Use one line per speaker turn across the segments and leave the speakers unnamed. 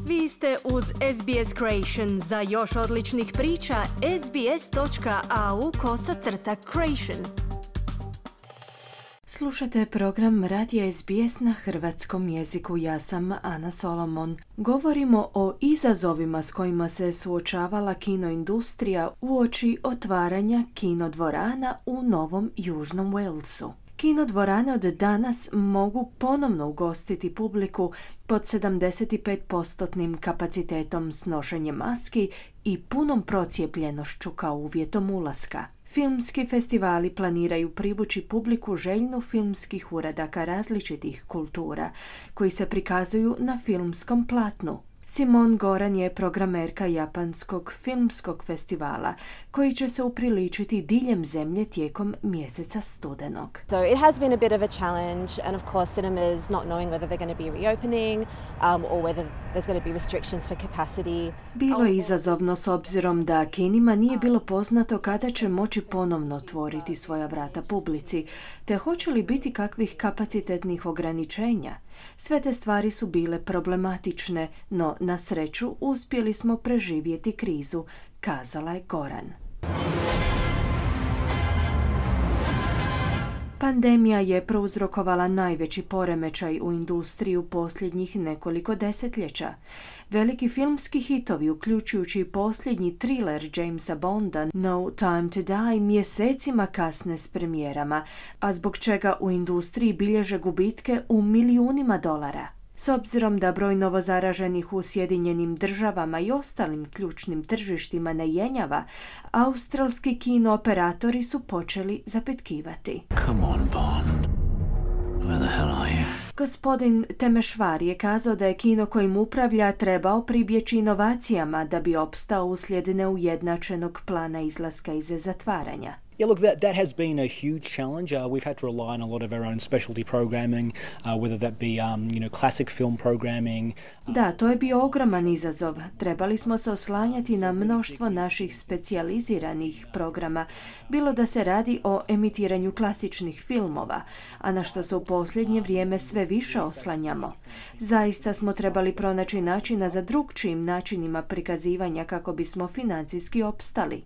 Vi ste uz SBS Creation. Za još odličnih priča, sbs.au/creation. Slušate program Radija SBS na hrvatskom jeziku. Ja sam Ana Solomon. Govorimo o izazovima s kojima se suočavala kinoindustrija uoči otvaranja kinodvorana u Novom Južnom Walesu. Kinodvorane od danas mogu ponovno ugostiti publiku pod 75% kapacitetom s nošenjem maski i punom procijepljenošću kao uvjetom ulaska. Filmski festivali planiraju privući publiku željnu filmskih uradaka različitih kultura koji se prikazuju na filmskom platnu. Simone Goran je programerka Japanskog filmskog festivala koji će se upriličiti diljem zemlje tijekom mjeseca studenog.
So it has been a bit of a challenge, and of course cinemas not knowing whether they're going to be reopening or whether there's going to be restrictions for capacity.
Bilo je izazovno s obzirom da kinima nije bilo poznato kada će moći ponovno otvoriti svoja vrata publici, te hoće li biti kakvih kapacitetnih ograničenja. Sve te stvari su bile problematične, no na sreću uspjeli smo preživjeti krizu, kazala je Goran. Pandemija je prouzrokovala najveći poremećaj u industriji u posljednjih nekoliko desetljeća. Veliki filmski hitovi, uključujući i posljednji thriller Jamesa Bonda No Time to Die, mjesecima kasne s premijerama, a zbog čega u industriji bilježe gubitke u milijunima dolara. S obzirom da broj novozaraženih u Sjedinjenim Državama i ostalim ključnim tržištima ne jenjava, australski kinooperatori su počeli zapitkivati.
Come on, Bond. Where the hell are you?
Gospodin Temeshvar je kazao da je kino kojim upravlja trebao pribjeći inovacijama da bi opstao uslijed neujednačenog plana izlaska iz zatvaranja.
Yeah, look, that has been a huge challenge. We've had to rely on a lot of our own specialty programming, whether that be, classic film programming.
Da, to je bio ogroman izazov. Trebali smo se oslanjati na mnoštvo naših specijaliziranih programa, bilo da se radi o emitiranju klasičnih filmova, a na što se u posljednje vrijeme sve više oslanjamo. Zaista smo trebali pronaći načina za drukčijim načinima prikazivanja kako bismo financijski opstali.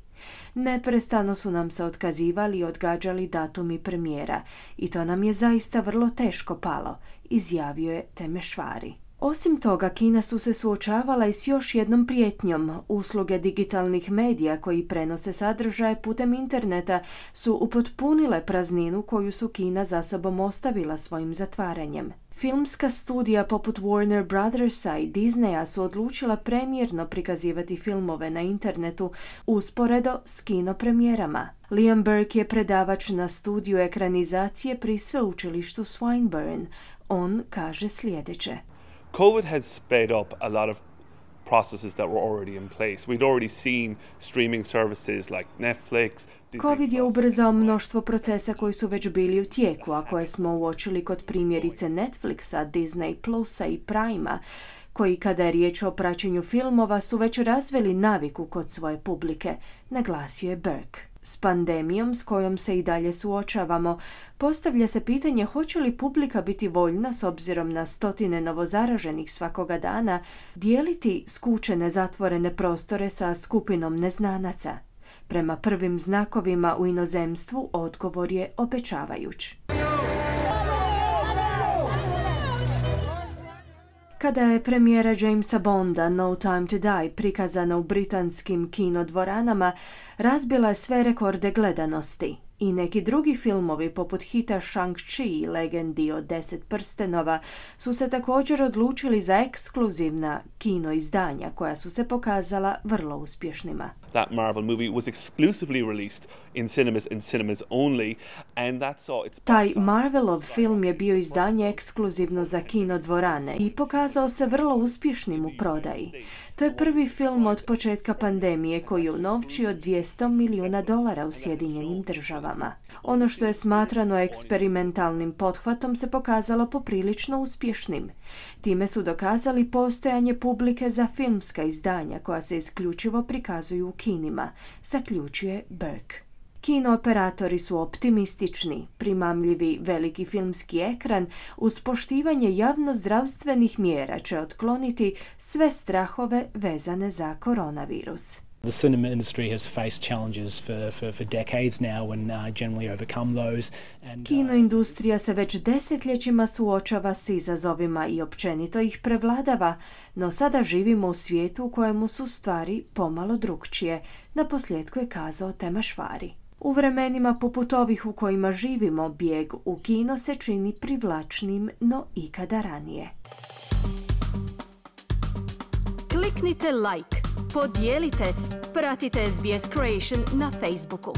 Neprestano su nam se otkazivali i odgađali datumi premijera i to nam je zaista vrlo teško palo, izjavio je Temeshvari. Osim toga, kina su se suočavala i s još jednom prijetnjom. Usluge digitalnih medija koji prenose sadržaje putem interneta su upotpunile prazninu koju su Kina za sobom ostavila svojim zatvaranjem. Filmska studija poput Warner Brothersa i Disneya su odlučila premijerno prikazivati filmove na internetu usporedo s kino premijerama. Liam Burke je predavač na studiju ekranizacije pri sveučilištu Swinburne. On kaže sljedeće.
COVID has sped up a lot of processes that were already in place. We'd already seen streaming services like Netflix.
COVID je ubrzao mnoštvo procesa koji su već bili u tijeku, a koje smo uočili kod primjerice Netflixa, Disney Plusa i Prima, koji kada je riječ o praćenju filmova su već razvili naviku kod svoje publike, naglasio je Burke. S pandemijom s kojom se i dalje suočavamo, postavlja se pitanje hoće li publika biti voljna s obzirom na stotine novozaraženih svakoga dana dijeliti skučene zatvorene prostore sa skupinom neznanaca. Prema prvim znakovima u inozemstvu odgovor je obećavajuć. Kada je premijera Jamesa Bonda No Time to Die prikazana u britanskim kinodvoranama, razbila je sve rekorde gledanosti. I neki drugi filmovi poput hita Shang-Chi, legendi od 10 prstenova, su se također odlučili za ekskluzivna kino izdanja koja su se pokazala vrlo uspješnima.
That Marvel movie was exclusively released in cinemas only, and that saw its...
Taj Marvelov film je bio izdanje ekskluzivno za kinodvorane i pokazao se vrlo uspješnim u prodaji. To je prvi film od početka pandemije koji je unovčio $200 milijuna u Sjedinjenim Državama. Ono što je smatrano eksperimentalnim pothvatom se pokazalo poprilično uspješnim. Time su dokazali postojanje publike za filmska izdanja koja se isključivo prikazuju u kinima, zaključuje Burke. Kino operatori su optimistični, primamljivi veliki filmski ekran uz poštivanje javnozdravstvenih mjera će otkloniti sve strahove vezane za koronavirus.
The cinema industry has faced challenges for decades now and generally overcome those.
Kino industrija se već desetljećima suočava s izazovima i općenito ih prevladava, no sada živimo u svijetu u kojemu su stvari pomalo drukčije, naposljetku je kazao Temašvari. U vremenima poput ovih u kojima živimo, bijeg u kino se čini privlačnim no ikada ranije.
Kliknite like, podijelite, pratite SBS Creation na Facebooku.